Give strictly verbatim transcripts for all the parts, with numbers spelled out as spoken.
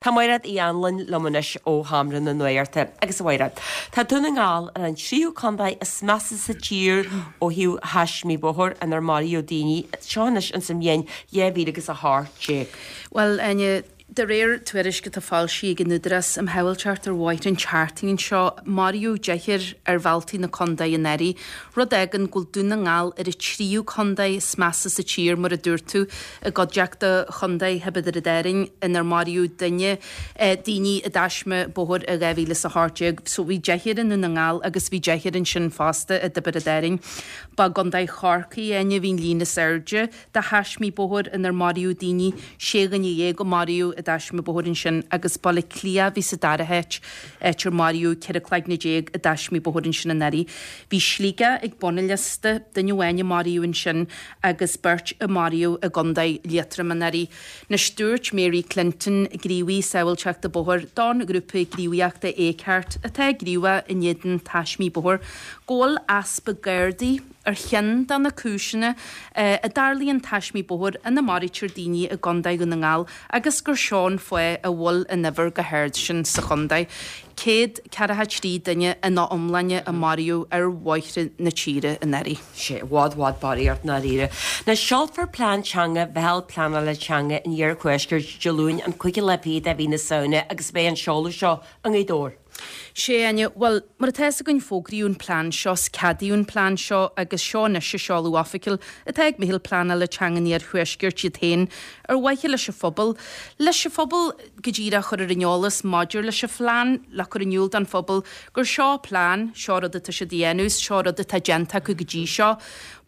Tá Mairéad Uí Anluain liom anois ó Sheomra na Nuachta agus a Mhairéad. Tá Dún na nGall ar an tríú contae is measa sa tír ó thaobh taismí bóthair inar maraíodh daoine seo anois ins an mbliain dhá mhíle agus a hocht déag. Bhuel, Áine, de réir tuairisc atá foilsithe ag an Údarás um Shábháilteacht ar Bhóithre an tseachtain seo, maraíodh deichniúr ar bhealtaí na contae anuraidh, rud a fhágann go bhfuil Dún na nGall ar an tríú contae is measa sa tír, mar a dúirt tú, i gcuideachta chontae Thiobraid Árann inar maraíodh duine, daoine i dtaisme bóthair i dhá mhíle is a hocht déag. So bhí deichniúr i nDún na nGall agus bhí deichniúr ansin fosta i dTiobraid Árann. Ba i gContae Chorcaí, Áine, a bhí an líon is airde de thaismí bóthair inar maraíodh daoine, sé dhuine dhéag a maraíodh i dtaisme bóthair ansin agus Baile Átha Cliath a bhí sa dara háit, áit ar maraíodh ceithre cloigne déag i dtaismí bóthair ansin anuraidh. Bhí Sligeach ag bun an liosta, duine amháin a maraíodh ansin agus beirt a maraíodh i gContae Liatroim anuraidh. Anois dúirt Mary Clinton, gníomhaí sábháilteachta bóthair don ghrúpa gníomhaíochta Acart atá gníomhach in éadan taismí bóthair, go bhfuil easpa Gardaí ar cheann de na cúiseanna a dtarlaíonn taismí bóthair ina maraítear daoine i gContae Dhún na nGall agus gur seo an fáth a bhfuil an uimhir chomh hard sin sa chontae. Céad ceathracha trí duine ina iomláine a maraíodh ar bhóithre na tíre anuraidh. Sé i bhfad bhfad barraíocht ndáiríre. Anois seolfar plean teanga Mheitheal Pleanála Teanga an Iarthuaiscirt Dé Luain an cúigiú lá fichead de mhí na Samhna agus beidh an seoladh seo i nGaoth Dobhair. Sé, Áine, bhuel, mar atá fhios againn fógraíodh an plean seo, 's ceadaíodh an plean seo agus seo anois an seoladh oifigiúil atá ag Meitheal Pleanála Teanga an Iarthuaiscirt iad féin ar mhaithe leis an phobal, leis an phobal go díreach a chur ar an eolas maidir leis an phlean, le cur in iúl don phobal gur seo plean, seo rud atá siad a dhéanamh, seo rud atá déanta acu go dtí seo.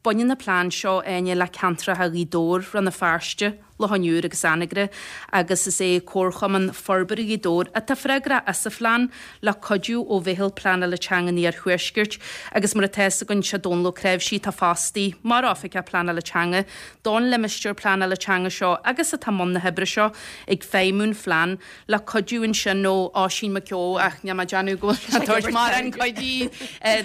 Baineann an plean seo, Áine, le ceantracha Ghaoth Dobhair, Rann na Feirste, Loch an Iúir agus Anagaire agus is é Comharchumann Forbartha Ghaoth Dobhair atá freagrach as an phlean le cuidiú ó Mheitheal Pleanála Teanga an Iarthuaiscirt agus mar atá fhios againn sé Dónal Ó Cnáimhsí atá fostaithe mar Oifigeach Pleanála Teanga don limistéar pleanála teanga seo agus atá i mbun na hoibre seo ag feidhmiú an phlean le cuidiú ansin ó Oisín Mac Eó ach níl mé ag déanamh go bhfuil sé ag tabhairt mórán cuidiú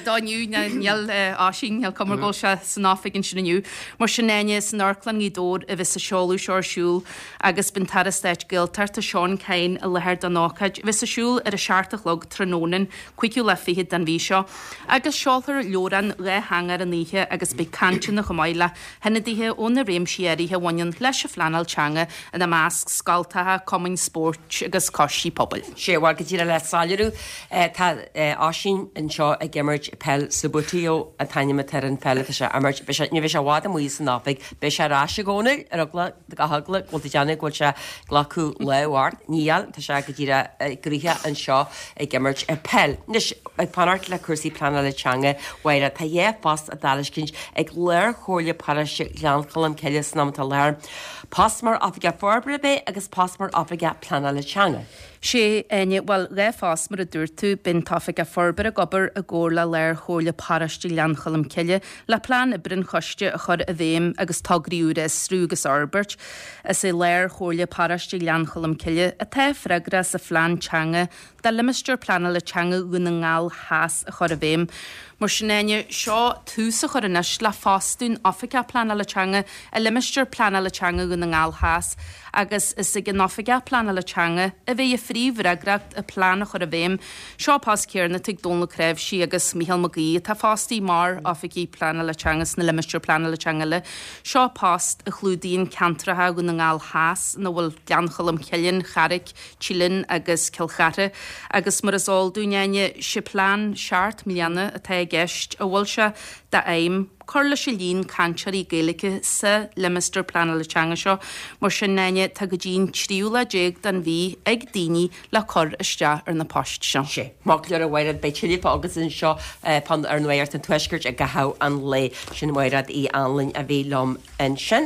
dó inniu, níl Oisín, níl cuma go bhfuil sé san oifig ansin inniu. Mar sin Áine, san Amharclann Ghaoth Dobhair a bheas an seoladh seo ar siúl agus beidh an tAire Stáit Gaeltachta Seán Kyne i láthair don ócáid a bheas ar siúl ar a seacht a chlog tráthnóna an cúigiú lá fichead den mhí seo agus seolfar leabhrán dhátheangach ar an oíche agus beidh cainteanna chomh maith le hionadaithe ó na réimsí áirithe a bhaineann leis an phleanáil teanga ina measc, scoltacha, cumainn spóirt agus coistí pobail. Sé, bhuel, go díreach le soiléiriú, tá Oisín anseo ag imirt peil Subbuteo an t-ainm atá ar an pheil atá sé a imirt. Beidh sé, ní bheidh sé i bhfad amuigh as an oifig, beidh sé ar ais i gcónaí ar eagla, gach eagla go bhfuil tú ag déanamh go bhfuil sé ag glacadh lámh ort. Níl, tá sé go díreach gnoitheach anseo ag imirt peil. Anois, ag fanacht le cúrsaí pleanála teanga, Mháire, tá dhá phost á dtairiscint ag Lár-Chomhairle Paróiste Ghleann Cholm Cille san am atá i láthair, post mar Oifigeach Forbartha a bheidh agus post mar Oifigeach Pleanála Teanga. Sé, Áine, bhuel, dhá phost mar a dúirt tú, beidh an tOifigeach Forbartha ag obair i gcomhar le Lár-Chomhairle Paróiste Ghleann Cholm Cille le plean oibre an choiste a chur i bhfeidhm agus tograí úra a fhiosrú agus a fhorbairt. Is é Lár-Chomhairle Paróiste Ghleann Cholm Cille atá freagrach as an phlean teanga do Limistéar Pleanála Teanga Dhún na nGall Theas a chur i bhfeidhm. Mar sin, Áine, seo tús a chur anois le fostú an Oifigeach Pleanála Teanga i Limistéar Pleanála Teanga Dhún na nGall Theas agus is ag an Oifigeach Pleanála Teanga a bheidh an phríomhfhreagracht an plean a chur i bhfeidhm. Seo post céanna atá ag Dónal Ó Cnáimhsí agus Mícheál Mac Aoidh atá fostaithe mar Oifigigh Pleanála Teanga sna Limistéir Pleanála Teanga eile. Seo post a chlúdaíonn ceantracha Dhún na nGall Theas ina bhfuil Gleann Cholm Cille, An Charraic, Teileann agus Cill Chartha agus mar is eol dúinn, Áine, sé plean seacht mbliana atá i gceist a bhfuil sé d'aidhm cur leis an líon cainteoirí Gaeilge sa limistéar pleanála teanga seo. Mar sin, Áine, tá go dtí an tríú lá déag den mhí ag daoine le cur isteach ar na poist seo. Sé. Maith go leor a Mhairéad, beidh tuilleadh fá agatsa anseo ar Nuacht an Tuaiscirt i gcaitheamh an lae. Sin Mairéad Uí Anluain a bhí liom ansin.